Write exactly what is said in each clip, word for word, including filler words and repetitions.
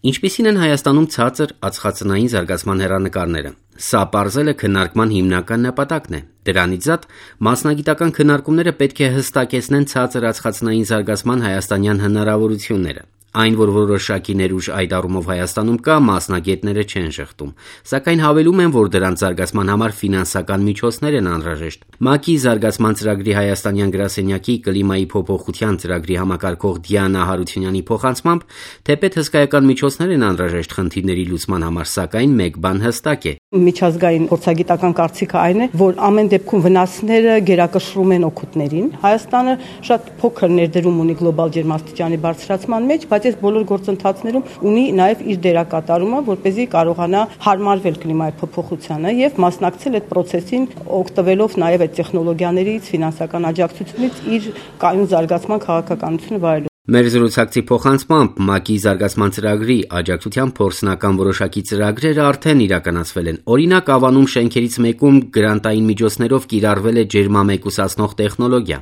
Ինչպիսին են Հայաստանում ցածր ածխածնային զարգացման հեռանկարները։ Սա պարզելը քննարկման հիմնական նպատակն է։ Դրանից զատ մասնագիտական քննարկումները պետք է հստակեցնեն ցածր ածխածնային զարգացման հայաստանյան հնարավորությունները։ Այն, որ որոշակի ներուժ այդ առումով Հայաստանում կա, մասնագետները չեն շղթում, սակայն հավելում են, որ դրանց զարգացման համար ֆինանսական միջոցներ են անհրաժեշտ։ ՄԱԿ-ի զարգացման ծրագրի հայաստանյան գրասենյակի կլիմայի փոփոխության ծրագրի համակարգող Դիանա Հարությունյանի փոխանցմամբ, թեպետ հսկայական միջոցներ են անհրաժեշտ խնդիրների լուծման համար, սակայն մեկ բան հստակ է։ Միջազգային փորձագիտական կարծիքը այն է, որ ամեն դեպքում վնասները գերակշռում են օգուտներին։ Հայաստանը շատ փոքր ներդրում ունի գլոբալ ջերմաստիճանի բարձրացման մեջ, բայց այս բոլոր գործընթացներում ունի նաև իր դերակատարումը, որպեսզի կարողանա հարմարվել կլիմայի փոփոխությանը եւ մասնակցել այդ process-ին, օգտվելով նաև այդ տեխնոլոգիաներից, ֆինանսական աջակցությունից իր կայուն զարգացման քաղաքականությունը վայելելու։ Մեր զրուցակցի փոխանցմամբ ՄԱԿ-ի զարգացման ծրագրի աջակցության փորձնական որոշակի ծրագրերը արդեն իրականացվել են։ Օրինակ, Ավանում շենքերից մեկում գրանտային միջոցներով կիրառվել է ջերմամեկուսացնող տեխնոլոգիա։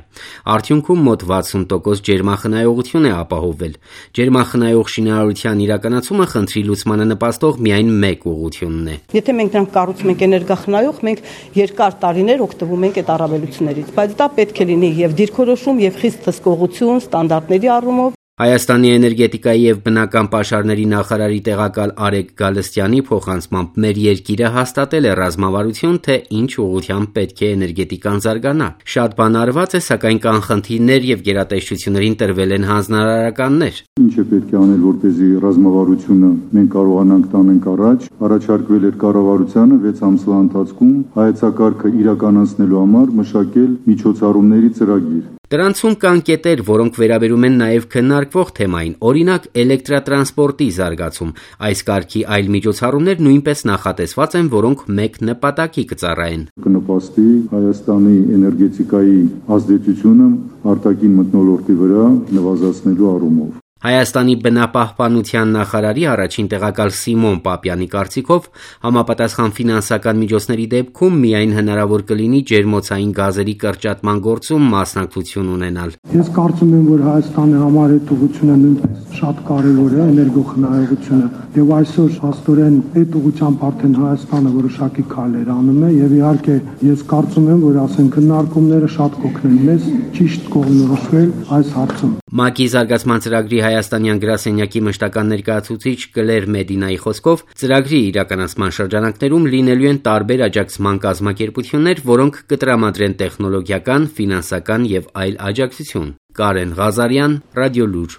Արդյունքում մոտ վաթսուն տոկոս ջերմախնայողություն է ապահովվել։ Ջերմախնայող շինարարության իրականացումը խնդրի լուծմանը նպաստող միայն մեկ ուղղությունն է։ Եթե մենք դրանք կառուցում ենք էներգախնայող, մենք երկար տարիներ օգտվում ենք այդ առավելություններից, բայց դա պետք է լինի եւ դիրքորոշում եւ խիստ հսկողություն, ստանդարտների առումով։ Հայաստանի էներգետիկայի եւ բնական պաշարների նախարարի տեղակալ Արեգ Գալստյանի փոխանցմամբ մեր երկիրը հաստատել է ռազմավարություն, թե ինչ ուղղությամբ պետք է էներգետիկան զարգանա։ Շատ բան արված է, սակայն կան խնդիրներ եւ գերատեսչություններին տրվել են հանձնարարականներ։ Ինչ է պետք է անել, որպեսզի ռազմավարությունը մենք կարողանանք տանենք առաջ։ Առաջարկվել էր կառավարությանը վեց ամսվա ընթացքում հայեցակարգը իրականացնելու համար մշակել միջոցառումների ծրագիր։ Դրանցում կան կետեր, որոնք վերաբերում են նաև քննարկվող թեմային, օրինակ էլեկտրատրանսպորտի զարգացում։ Այս կարգի այլ միջոցառումներ նույնպես նախատեսված են, որոնք մեկ նպատակի կծառայեն։ Կնպաստի Հայաստանի էներգետիկայի ազդեցությունը արտաքին մթնոլորտի վրա նվազեցնելու առումով։ Հայաստանի բնապահպանության նախարարի առաջին տեղակալ Սիմոն Պապյանի կարծիքով համապատասխան ֆինանսական միջոցների դեպքում միայն հնարավոր կլինի ջերմոցային գազերի կրճատման գործում մասնակցություն ունենալ։ Ես կարծում եմ, որ Հայաստանի համար այդ ուղղությունը նույնպես շատ կարևոր է, էներգոխնայողությունը, եւ այսօր հաստորեն այդ ուղղությամբ արդեն Հայաստանը որոշակի քայլեր անում է եւ իհարկե ես կարծում եմ, որ ասեն քննարկումները շատ կօգնեն մեզ ճիշտ կողմնորոշվել այս հարցում։ ՄԱԿ-ի զարգացման ծրագրի հայաստանյան գրասենյակի մշտական ներկայացուցիչ Կլեր Մեդինայի խոսքով ծրագրի իրականացման շրջանակներում լինելու են տարբեր աջակցման կազմակերպություններ, որոնք կտրամադրեն տեխնոլոգիական, ֆինանսական եւ այլ աջակցություն։ Կարեն Ղազարյան, Ռադիոլուր։